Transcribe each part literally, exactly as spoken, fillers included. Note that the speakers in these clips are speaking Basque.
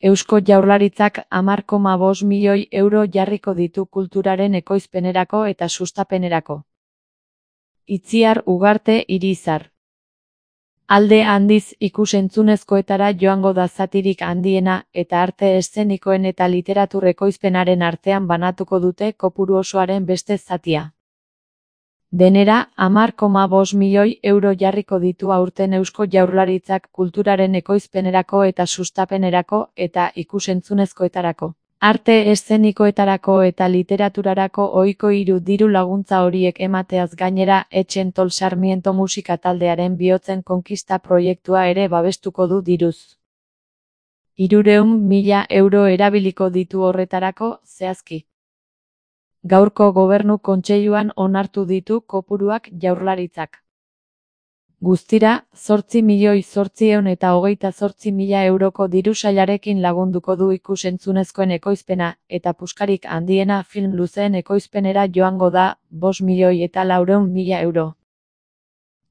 Eusko Jaurlaritzak hamar koma bost milioi euro jarriko ditu kulturaren ekoizpenerako eta sustapenerako. Itziar Ugarte Irizar. Alde handiz ikus-entzunezkoetara joango da zatirik handiena eta arte eszenikoen eta literatur ekoizpenaren artean banatuko dute kopuru osoaren beste zatia. Denera, hamar koma bost milioi euro jarriko ditu aurten Eusko Jaurlaritzak kulturaren ekoizpenerako eta sustapenerako eta ikus-entzunezkoetarako. Arte eszenikoetarako eta literaturarako ohiko hiru diru laguntza horiek emateaz gainera, Etxentol Sarmiento musika taldearen Bihotzen Konkista proiektua ere babestuko du diruz. Hirurehun mila euro erabiliko ditu horretarako, zehazki. Gaurko Gobernu Kontseiluan onartu ditu kopuruak Jaurlaritzak. Guztira, zortzi milioi zortziehun eta hogeita zortzi mila euroko diru sailarekin lagunduko du ikus-entzunezkoen ekoizpena, eta puskarik handiena film luzeen ekoizpenera joango da, bost milioi eta laurehun mila euro.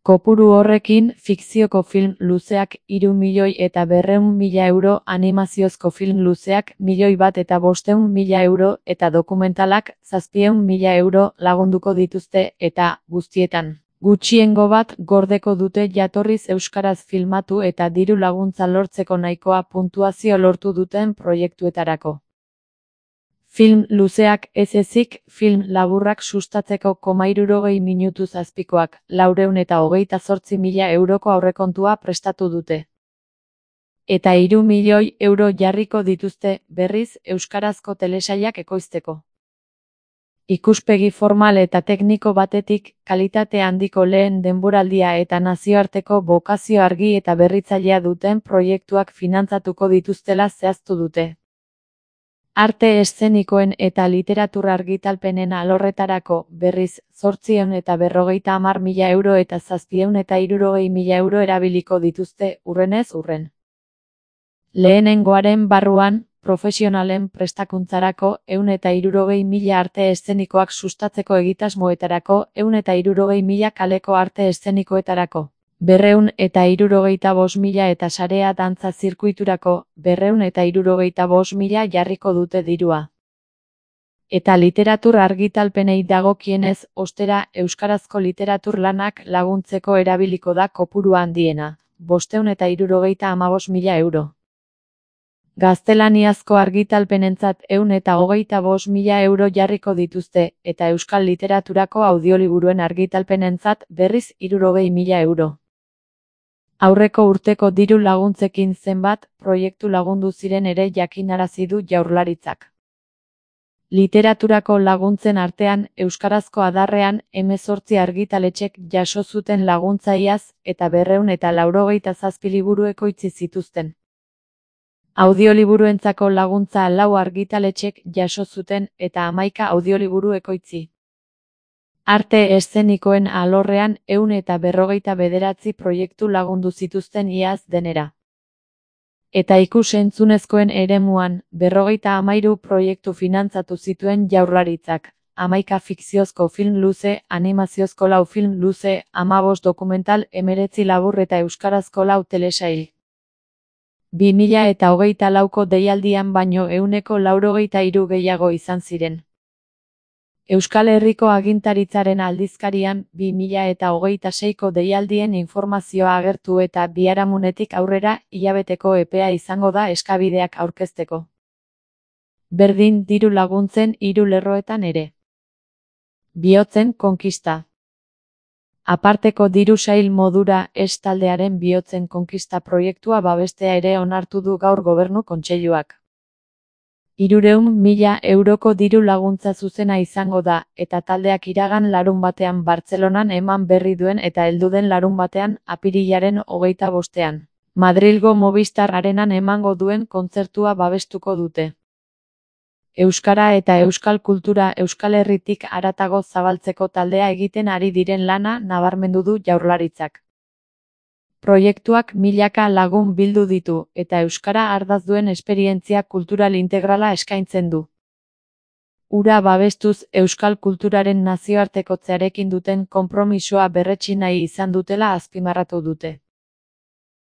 Kopuru horrekin, fikzioko film luzeak hiru milioi eta berrehun mila euro, animaziozko film luzeak milioi bat eta bostehun mila euro eta dokumentalak zazpiehun mila euro lagunduko dituzte eta, guztietan, gutxiengo bat gordeko dute jatorriz euskaraz filmatu eta diru laguntza lortzeko nahikoa puntuazio lortu duten proiektuetarako. Film luzeak ez ezik, film laburrak sustatzeko koma hirurogei minutu zazpikoak, laurehun eta hogeita zortzi mila euroko aurrekontua prestatu dute. Eta hiru milioi euro jarriko dituzte, berriz, euskarazko telesailak ekoizteko. Ikuspegi formal eta tekniko batetik, kalitate handiko lehen denboraldia eta nazioarteko bokazio argi eta berritzailea duten proiektuak finantzatuko dituztela zehaztu dute. Arte eszenikoen eta literatura argitalpenen alorretarako, berriz, zortziehun eta berrogeita hamar mila euro eta zazpiehun eta hirurogei mila euro erabiliko dituzte, urrenez urren. Lehenengoaren barruan, profesionalen prestakuntzarako, ehun eta hirurogei mila arte eszenikoak sustatzeko egitasmoetarako, ehun eta hirurogei mila kaleko arte eszenikoetarako. Berrehun eta hirurogeita bost mila eta sarea dantza zirkuiturako, berrehun eta hirurogeita bost mila jarriko dute dirua. Eta literatur argitalpenei dagokienez, ostera, euskarazko literatur lanak laguntzeko erabiliko da kopuru handiena, bostehun eta hirurogeita hamabost mila euro. Gaztelaniazko argitalpenentzat ehun eta hogeita bost mila euro jarriko dituzte, eta euskal literaturako audioliburuen argitalpenentzat berriz hirurogei mila euro. Aurreko urteko diru laguntzekin zenbat proiektu lagundu ziren ere jakinarazi du Jaurlaritzak. Literaturako laguntzen artean, euskarazko adarrean, hemezortzi argitaletxek jaso zuten laguntza iaz, eta berrehun eta laurogeita zazpi liburu ekoitzi zituzten. Audioliburuentzako laguntza lau argitaletxek jaso zuten, eta hamaika audioliburu ekoitzi. Arte eszenikoen alorrean ehun eta berrogeita bederatzi proiektu lagundu zituzten iaz denera. Eta ikus-entzunezkoen eremuan, berrogeita hamairu proiektu finantzatu zituen Jaurlaritzak, hamaika fikziozko film luze, animaziozko lau film luze, hamabost dokumental, hemeretzi labur eta euskarazko lau telesail. bi mila eta hogeita lauko deialdian baino ehuneko laurogeita hiru gehiago izan ziren. Euskal Herriko Agintaritzaren aldizkarian, bi mila eta hogeita seiko deialdien informazioa agertu eta biharamunetik aurrera, hilabeteko epea izango da eskabideak aurkezteko. Berdin diru laguntzen hiru lerroetan ere. Bihotzen Konkista. Aparteko diru sail modura, ez taldearen Bihotzen Konkista proiektua babestea ere onartu du gaur Gobernu Kontseiluak. Hirurehun mila euroko diru laguntza zuzena izango da, eta taldeak iragan larun batean Bartzelonan eman berri duen eta helduden larun batean, apirilaren hogeita bostean. Madrilgo Movistar Arenan emango duen kontzertua babestuko dute. Euskara eta euskal kultura Euskal Herritik haratago zabaltzeko taldea egiten ari diren lana nabarmendu du Jaurlaritzak. Proiektuak milaka lagun bildu ditu, eta euskara ardatz duen esperientzia kultural integrala eskaintzen du. Hura babestuz euskal kulturaren nazioartekotzearekin duten konpromisoa berretsi nahi izan dutela azpimarratu dute.